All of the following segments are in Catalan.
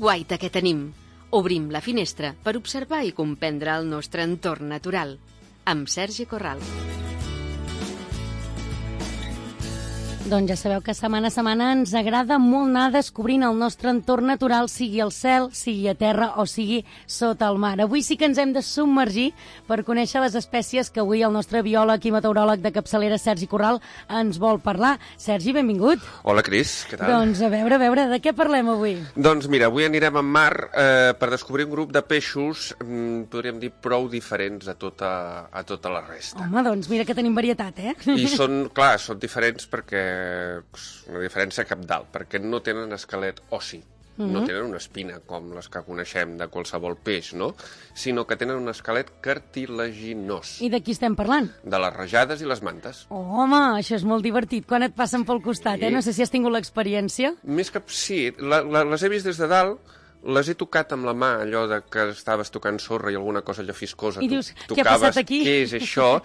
guaita que tenim. Obrim la finestra per observar i comprendre el nostre entorn natural. Amb Sergi Corral. Doncs ja sabeu que setmana a setmana ens agrada molt anar descobrint el nostre entorn natural, sigui al cel, sigui a terra o sigui sota el mar. Avui sí que ens hem de submergir per conèixer les espècies que avui el nostre biòleg i meteoròleg de capçalera, Sergi Corral, ens vol parlar. Sergi, benvingut. Hola, Cris, què tal? Doncs a veure, de què parlem avui? Doncs mira, avui anirem en mar per descobrir un grup de peixos, podríem dir, prou diferents a tota la resta. Home, doncs mira que tenim varietat, eh? I són diferents perquè una diferència cabdal, perquè no tenen esquelet ossi, no tenen una espina com les que coneixem de qualsevol peix, no? Sinó que tenen un esquelet cartilaginós. I de qui estem parlant? De les rajades i les mantes. Oh, home, això és molt divertit, quan et passen pel costat, Sí. No sé si has tingut l'experiència. Més que sí, les he vist des de dalt, les he tocat amb la mà, allò de que estaves tocant sorra i alguna cosa allò fiscosa. I dius, què ha passat aquí? Què és això?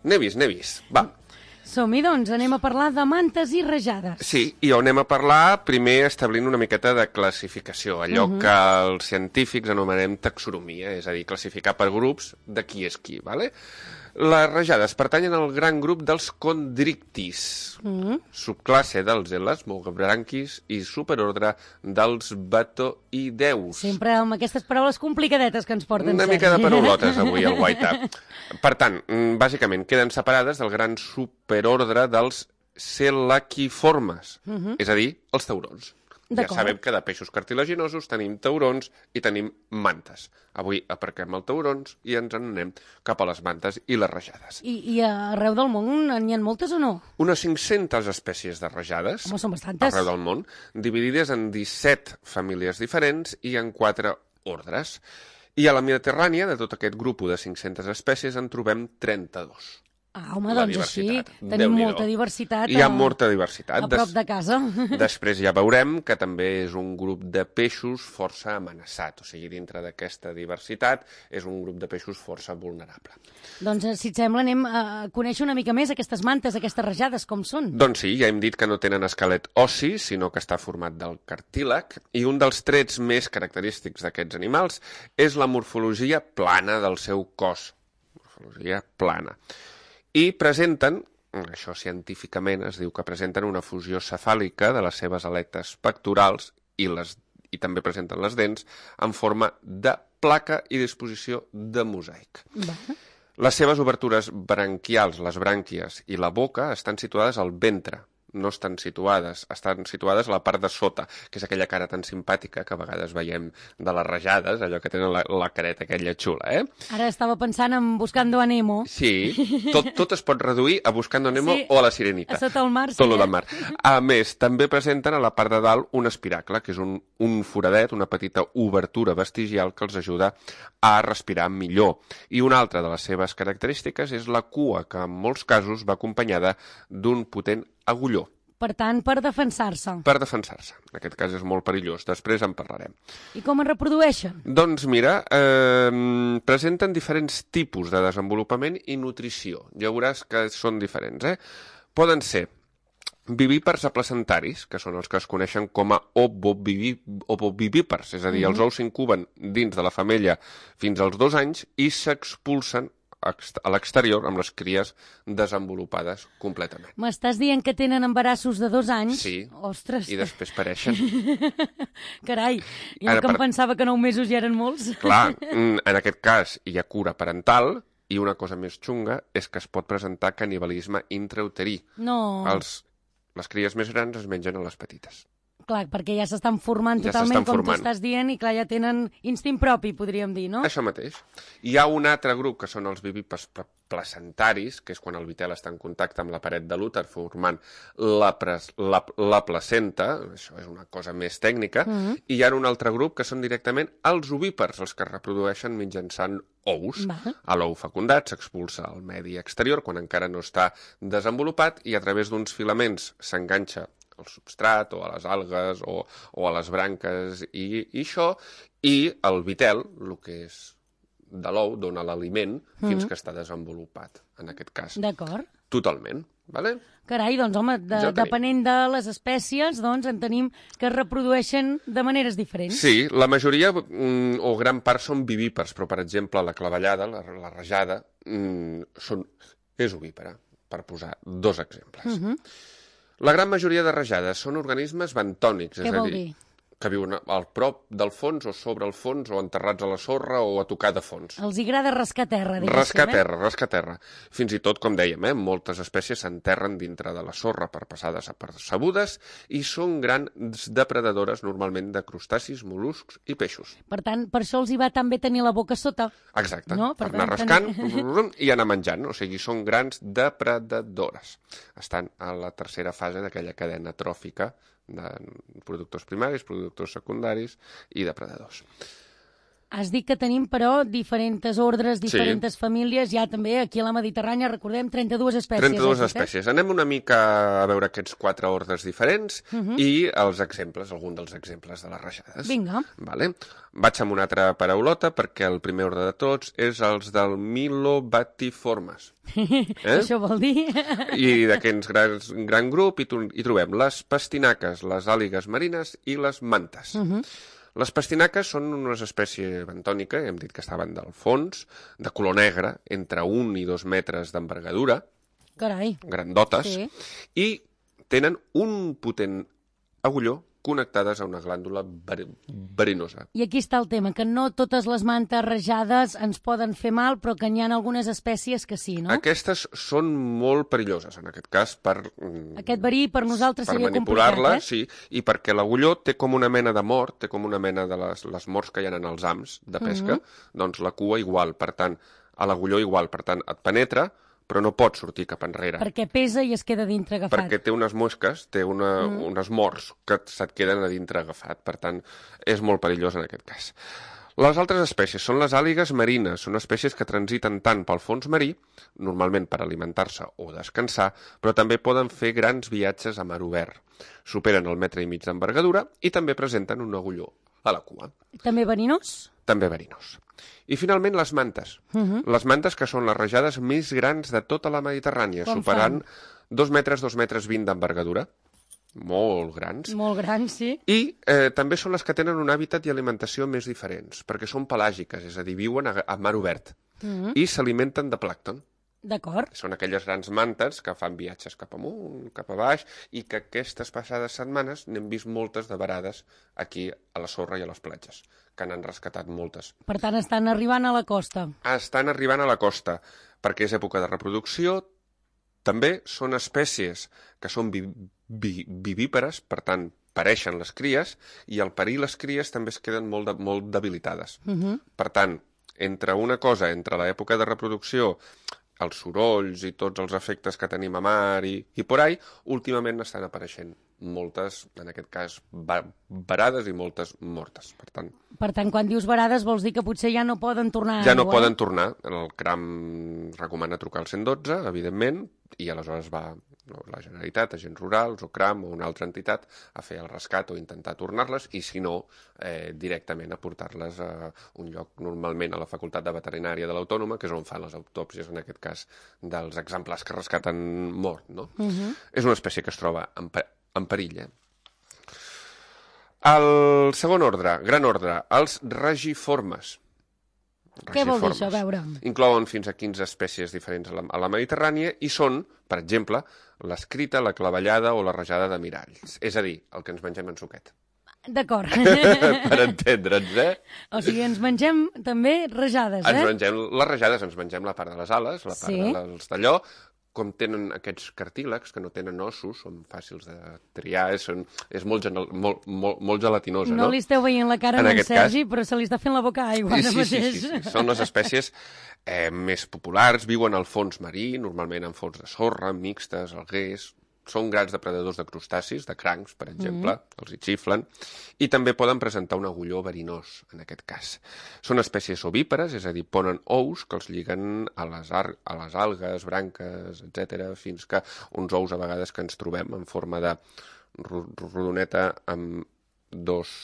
N'he vist. Va. Som-hi, doncs, anem a parlar de mantes i rajades. Sí, i on anem a parlar primer establint una miqueta de classificació, allò que els científics anomenem taxonomia, és a dir, classificar per grups de qui és qui, ¿vale? Les rajades pertanyen al gran grup dels condrictis, subclasse dels elasmobranquis i superordre dels batoideus. Sempre amb aquestes paraules complicadetes que ens porten, Una Sergi. mica de paraulotes avui, al guaita. Per tant, bàsicament, queden separades del gran superordre dels selaquiformes, és a dir, els taurons. Ja sabem que de peixos cartilaginosos tenim taurons i tenim mantes. Avui aparquem els taurons i ens en anem cap a les mantes i les rajades. I arreu del món n'hi ha moltes o no? Unes 500 espècies de rajades. Home, són bastantes. Arreu del món, dividides en 17 famílies diferents i en 4 ordres. I a la Mediterrània, de tot aquest grup de 500 espècies, en trobem 32. Ah, home, doncs així tenim Déu-n'hi-do. molta diversitat. Hi ha molta diversitat. A prop de casa. Després ja veurem que també és un grup de peixos força amenaçat. O sigui, dintre d'aquesta diversitat és un grup de peixos força vulnerable. Doncs, si et sembla, anem a conèixer una mica més aquestes mantes, aquestes rajades, com són. Doncs sí, ja hem dit que no tenen esquelet ossi, sinó que està format del cartílag, i un dels trets més característics d'aquests animals és la morfologia plana del seu cos. Morfologia plana. I presenten, això científicament es diu que presenten una fusió cefàlica de les seves aletes pectorals i també presenten les dents en forma de placa i disposició de mosaic. Les seves obertures branquials, les brànquies i la boca estan situades al ventre. No estan situades a la part de sota, que és aquella cara tan simpàtica que a vegades veiem de les rajades, allò que tenen la careta aquella xula, Ara estava pensant en Buscando a Nemo. Sí, tot es pot reduir a Buscando a Nemo o a la Sirenita. A sota el mar, sí. Tot lo del mar. A més, també presenten a la part de dalt un espiracle, que és un foradet, una petita obertura vestigial que els ajuda a respirar millor. I una altra de les seves característiques és la cua, que en molts casos va acompanyada d'un potent agulló. Per tant, per defensar-se. Per defensar-se. En aquest cas és molt perillós. Després en parlarem. I com es reprodueixen? Doncs mira, presenten diferents tipus de desenvolupament i nutrició. Ja veuràs que són diferents, Poden ser vivípars aplacentaris, que són els que es coneixen com a ovovivípars, és a dir, els ous s'incuben dins de la femella fins als 2 anys i s'expulsen a l'exterior amb les cries desenvolupades completament. M'estàs dient que tenen embarassos de 2 anys? Sí, ostres. I després pareixen. Carai, jo que em pensava que 9 mesos ja eren molts. Clar, en aquest cas hi ha cura parental i una cosa més xunga és que es pot presentar canibalisme intrauterí. No. Les cries més grans es mengen a les petites. Clar, perquè ja s'estan formant totalment, com tu estàs dient, i clar, ja tenen instint propi, podríem dir, no? Això mateix. Hi ha un altre grup, que són els vivípars placentaris, que és quan el vitel està en contacte amb la paret de l'úter, formant la placenta, això és una cosa més tècnica, i hi ha un altre grup, que són directament els ovípars, els que es reprodueixen mitjançant ous. A l'ou fecundat s'expulsa al medi exterior, quan encara no està desenvolupat, i a través d'uns filaments s'enganxa al substrat o a les algues o a les branques i això, i el vitel, el que és de l'ou, dona l'aliment fins que està desenvolupat, en aquest cas. D'acord. Totalment. Vale? Carai, doncs, home, depenent de les espècies, doncs, en tenim que es reprodueixen de maneres diferents. Sí, la majoria o gran part són vivípars, però, per exemple, la clavellada, la rajada, és ovípara, per posar 2 exemples. La gran majoria de rajades són organismes bentònics, Què vol dir? Que viuen al prop del fons o sobre el fons o enterrats a la sorra o a tocar de fons. Els hi agrada rascar terra, diguéssim. Rascar terra. Fins i tot, com dèiem, moltes espècies s'enterren dintre de la sorra per passar desapercebudes i són grans depredadores normalment de crustacis, mol·luscs i peixos. Per tant, per això els hi va tan bé tenir la boca sota. Exacte, no? per anar rascant i anar menjant. O sigui, són grans depredadores. Estan a la tercera fase d'aquella cadena tròfica de productors primaris, productors secundaris i depredadors. Has dit que tenim, però, diferents ordres, diferents famílies, ja també aquí a la Mediterrània, recordem, 32 espècies. 32 espècies. Anem una mica a veure aquests 4 ordres diferents i els exemples, algun dels exemples de les rajades. Vinga. Vale. Vaig amb una altra paraulota perquè el primer ordre de tots és els del Milobatiformes. Això vol dir? I d'aquest gran grup hi trobem les pastinaques, les àligues marines i les mantes. Les pastinaques són una espècie bentònica, hem dit que estaven del fons, de color negre, entre 1 i 2 metres d'envergadura, Carai. grandotes, Sí. I tenen un potent agulló connectades a una glàndula verinosa. I aquí està el tema, que no totes les mantes rajades ens poden fer mal, però que n'hi ha algunes espècies que sí, no? Aquestes són molt perilloses, en aquest cas, Aquest verí per nosaltres seria manipular-la, complicat, sí, i perquè l'agulló té com una mena de mort, té com una mena de les morts que hi ha en els hams de pesca, doncs la cua igual, per tant, a l'agulló igual, per tant, et penetra, però no pot sortir cap enrere. Perquè pesa i es queda dintre agafat. Perquè té unes mosques, té unes morts que se't queden a dintre agafat. Per tant, és molt perillós en aquest cas. Les altres espècies són les àligues marines. Són espècies que transiten tant pel fons marí, normalment per alimentar-se o descansar, però també poden fer grans viatges a mar obert. Superen el 1,5 metre d'envergadura i també presenten un agulló a la cua. També verinós? També verinós. I finalment les mantes. Les mantes que són les rajades més grans de tota la Mediterrània, superant 2 metres, 2,20 metres d'envergadura. Molt grans. Molt grans, sí. I també són les que tenen un hàbitat i alimentació més diferents, perquè són pelàgiques, és a dir, viuen a mar obert i s'alimenten de plàncton. D'acord. Són aquelles grans mantes que fan viatges cap amunt, cap a baix, i que aquestes passades setmanes n'hem vist moltes de varades aquí a la sorra i a les platges, que n'han rescatat moltes. Per tant, estan arribant a la costa. Estan arribant a la costa, perquè és època de reproducció. També són espècies que són vivípares, per tant, pareixen les cries, i al parir les cries també es queden molt debilitades. Per tant, entre una cosa, entre l'època de reproducció, els sorolls i tots els efectes que tenim a mar i por ahí, últimament estan apareixent moltes, en aquest cas, varades i moltes mortes. Per tant, quan dius varades vols dir que potser ja no poden tornar a ja no poden tornar. El CRAM recomana trucar al 112, evidentment, i aleshores va la Generalitat, agents rurals o CRAM o una altra entitat a fer el rescat o intentar tornar-les, i si no, directament a portar-les a un lloc, normalment a la Facultat de Veterinària de l'Autònoma, que és on fan les autòpsies, en aquest cas, dels exemplars que rescaten mort, no? És una espècie que es troba en perill. El segon ordre, gran ordre, els regiformes. Què vol dir això? A veure. Inclouen fins a 15 espècies diferents a la Mediterrània i són, per exemple, l'escrita, la clavellada o la rajada de miralls. És a dir, el que ens mengem en suquet. D'acord. Per entendre'ns, O sigui, ens mengem també rajades, Ens mengem les rajades, ens mengem la part de les ales, la part dels d'allò. Com tenen aquests cartílags, que no tenen ossos, són fàcils de triar, és molt gelatinosa, no? No li esteu veient la cara en Sergi, però se li està fent la boca aigua ara mateix. Sí. Són les espècies més populars, viuen al fons marí, normalment en fons de sorra, mixtes, alguers. Són grans depredadors de crustacis, de crancs, per exemple, els hi xiflen, i també poden presentar un agulló verinós, en aquest cas. Són espècies ovípares, és a dir, ponen ous que els lliguen a les algues, branques, etc., fins que uns ous a vegades que ens trobem en forma de rodoneta amb 2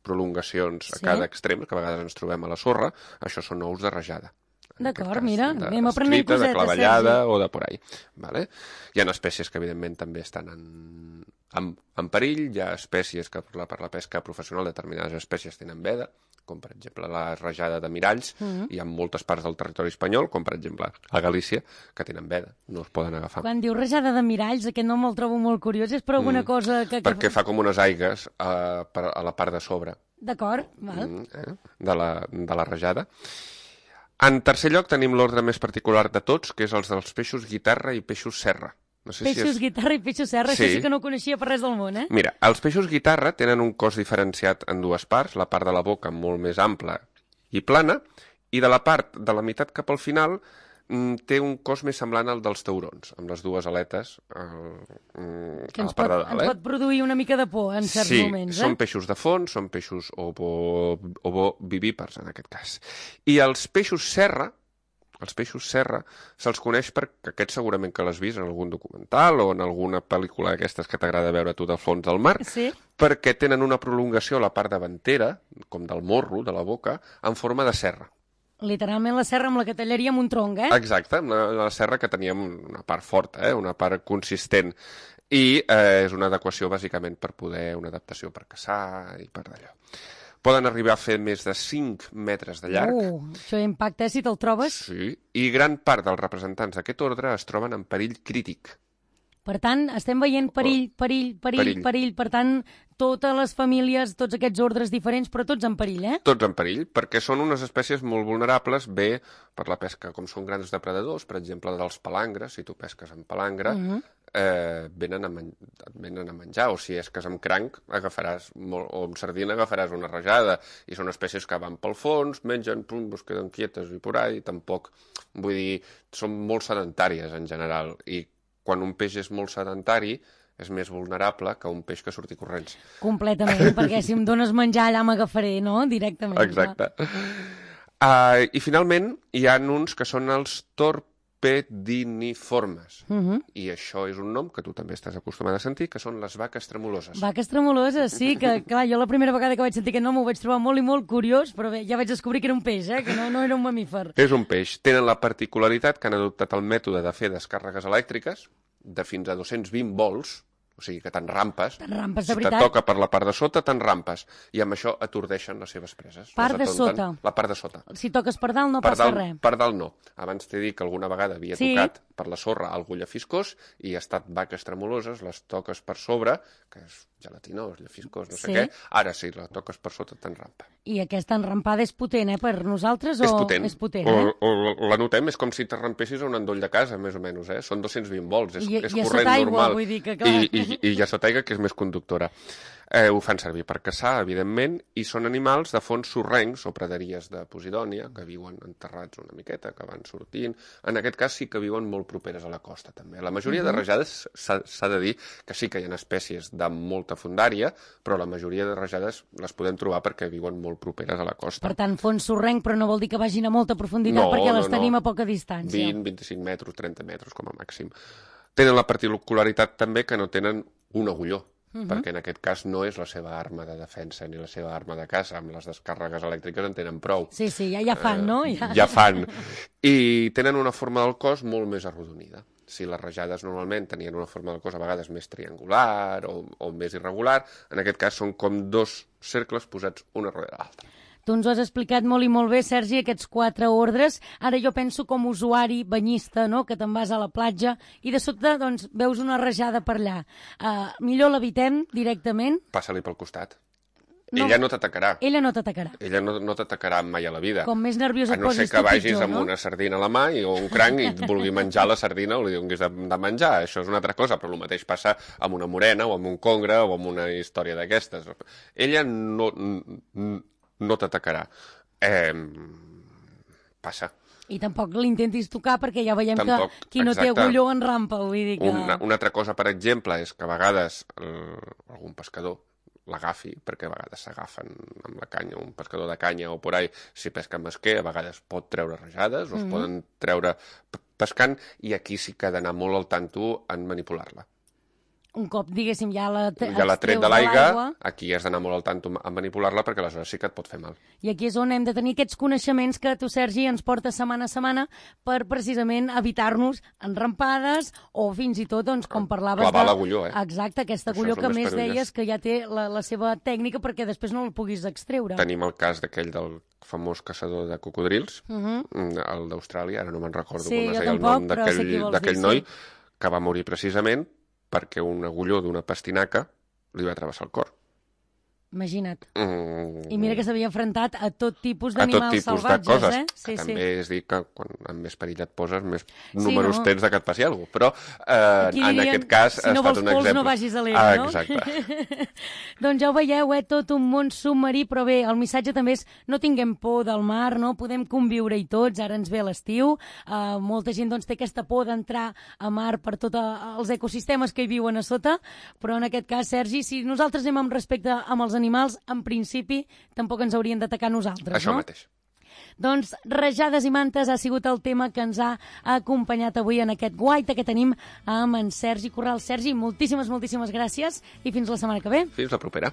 prolongacions a cada extrem, que a vegades ens trobem a la sorra, això són ous de rajada. D'acord, mira, anem aprenent cosetes, de clavellada o de por ahí. Vale? Hi ha espècies que, evidentment, també estan en perill. Hi ha espècies que, per la pesca professional, determinades espècies tenen veda, com, per exemple, la rajada de miralls. Hi ha moltes parts del territori espanyol, com, per exemple, a Galícia, que tenen veda, no es poden agafar. Quan diu rajada de miralls, aquest nom el trobo molt curiós, és per alguna cosa que... Perquè fa com unes aigues a la part de sobre. D'acord, val. De la rajada. En tercer lloc tenim l'ordre més particular de tots, que és els dels peixos guitarra i peixos serra. No sé peixos guitarra i peixos serra, això sí que no ho coneixia per res del món, eh? Mira, els peixos guitarra tenen un cos diferenciat en dues parts, la part de la boca molt més ampla i plana, i de la part de la meitat cap al final té un cos més semblant al dels taurons, amb les dues aletes a la part de dalt. Ens pot produir una mica de por en certs moments, Sí, són peixos de fons, són peixos ovovivípars, en aquest cas. I els peixos serra se'ls coneix perquè aquests segurament que l'has vist en algun documental o en alguna pel·lícula d'aquestes que t'agrada veure tu del fons del mar, perquè tenen una prolongació a la part davantera, com del morro, de la boca, en forma de serra. Literalment la serra amb la que tallaríem un tronc, eh? Exacte, amb la serra que teníem una part forta, una part consistent. I és una adequació, bàsicament, per poder una adaptació per caçar i per d'allò. Poden arribar a fer més de 5 metres de llarg. Això impacta, si te'l trobes. Sí, i gran part dels representants d'aquest ordre es troben en perill crític. Per tant, estem veient perill. Per tant, totes les famílies, tots aquests ordres diferents, però tots en perill, eh? Tots en perill, perquè són unes espècies molt vulnerables, bé per la pesca, com són grans depredadors, per exemple, dels palangres, si tu pesques amb palangre, venen a menjar, o si és que és amb cranc, o amb sardina agafaràs una rajada, i són espècies que van pel fons, mengen, es queden quietes i por ahí, tampoc, vull dir, són molt sedentàries en general, i quan un peix és molt sedentari, és més vulnerable que un peix que surti corrents. Completament, perquè si em dones menjar allà m'agafaré, no? Directament. Exacte. I finalment hi ha uns que són els torpediniformes. I això és un nom que tu també estàs acostumat a sentir, que són les vaques tremoloses. Vaques tremoloses, sí, que clar, jo la primera vegada que vaig sentir aquest nom ho vaig trobar molt i molt curiós, però bé, ja vaig descobrir que era un peix, que no era un mamífer. És un peix. Tenen la particularitat que han adoptat el mètode de fer descàrregues elèctriques de fins a 220 volts, o sigui que t'enrampes. T'enrampes, de veritat. Si te toca per la part de sota, t'enrampes. I amb això atordeixen les seves preses. Part de sota? La part de sota. Si toques per dalt no passa res? Per dalt no. Abans t'he dit que alguna vegada havia tocat per la sorra algú llefiscós i ha estat vaques tremoloses, les toques per sobre, que és gelatinós, llefiscós, no sé què. Ara sí, la toques per sota, t'enrampa. I aquesta enrampada és potent, per nosaltres? És potent. És potent, o la notem, és com si t'arrampessis a un endoll de casa, més o menys, Són 220 volts, és corrent sota aigua, normal. Vull dir que, clar. I ja sota aigua, que és més conductora. Ho fan servir per caçar, evidentment, i són animals de fons sorrencs o praderies de Posidònia, que viuen enterrats una miqueta, que van sortint. En aquest cas sí que viuen molt properes a la costa, també. La majoria de rajades s'ha de dir que sí que hi ha espècies de molta fondària, però la majoria de rajades les podem trobar perquè viuen molt properes a la costa. Per tant, fons sorrenc, però no vol dir que vagin a molta profunditat, perquè les tenim a poca distància. 20, 25 metres, 30 metres com a màxim. Tenen la particularitat també que no tenen un agulló, perquè en aquest cas no és la seva arma de defensa ni la seva arma de caça. Amb les descàrregues elèctriques en tenen prou. Sí, ja fan, no? Ja fan. I tenen una forma del cos molt més arrodonida. Si les rajades normalment tenien una forma del cos a vegades més triangular o més irregular, en aquest cas són com dos cercles posats una darrere l'altra. Tu ens ho has explicat molt i molt bé, Sergi, aquests 4 ordres. Ara jo penso com usuari banyista, no?, que te'n vas a la platja i de sobte doncs, veus una rajada per allà. Millor l'evitem directament? Passa-li pel costat. No. Ella no t'atacarà. Ella no t'atacarà. Ella no t'atacarà mai a la vida. Com més nerviós et posis, a no ser que vagis amb una sardina a la mà o un cranc i et vulgui menjar la sardina o li donis de menjar. Això és una altra cosa, però el mateix passa amb una morena o amb un congre o amb una història d'aquestes. Ella no t'atacarà. Passa. I tampoc l'intentis tocar perquè ja veiem que qui no té agulló en rampa. Vull dir que... Una altra cosa, per exemple, és que a vegades algun pescador l'agafi, perquè a vegades s'agafen amb la canya, un pescador de canya o por ahí, si pesca amb esquer, a vegades pot treure rajades o es poden treure pescant, i aquí sí que ha d'anar molt al tanto en manipular-la. Un cop, diguéssim, ja la tret de l'aigua, aquí has d'anar molt al tanto a manipular-la perquè aleshores sí que et pot fer mal. I aquí és on hem de tenir aquests coneixements que tu, Sergi, ens portes setmana a setmana per precisament evitar-nos enrampades o fins i tot, doncs, com parlaves... Clavar l'agulló, Exacte, aquesta agulló que més deies que ja té la seva tècnica perquè després no el puguis extreure. Tenim el cas d'aquell del famós caçador de cocodrils, el d'Austràlia, ara no me'n recordo com es deia el nom d'aquell noi, que va morir precisament perquè un agulló d'una pastinaca li va travessar el cor. Imagina't. I mira que s'havia enfrontat a tot tipus d'animals salvatges, de coses, que també és dir que quan amb més perill et poses, més números tens de que et passi alguna cosa. Però en aquest cas ha estat un exemple. Si no vols pols, no vagis a l'era, no? Exacte. Doncs ja ho veieu, tot un món submarí, però bé, el missatge també és no tinguem por del mar, no? Podem conviure-hi tots, ara ens ve l'estiu, molta gent doncs té aquesta por d'entrar a mar per tots els ecosistemes que hi viuen a sota, però en aquest cas, Sergi, si nosaltres anem amb respecte amb els animals, en principi, tampoc ens haurien d'atacar nosaltres, Això mateix. Doncs rajades i mantes ha sigut el tema que ens ha acompanyat avui en aquest guaita que tenim amb en Sergi Corral. Sergi, moltíssimes gràcies i fins la setmana que ve. Fins la propera.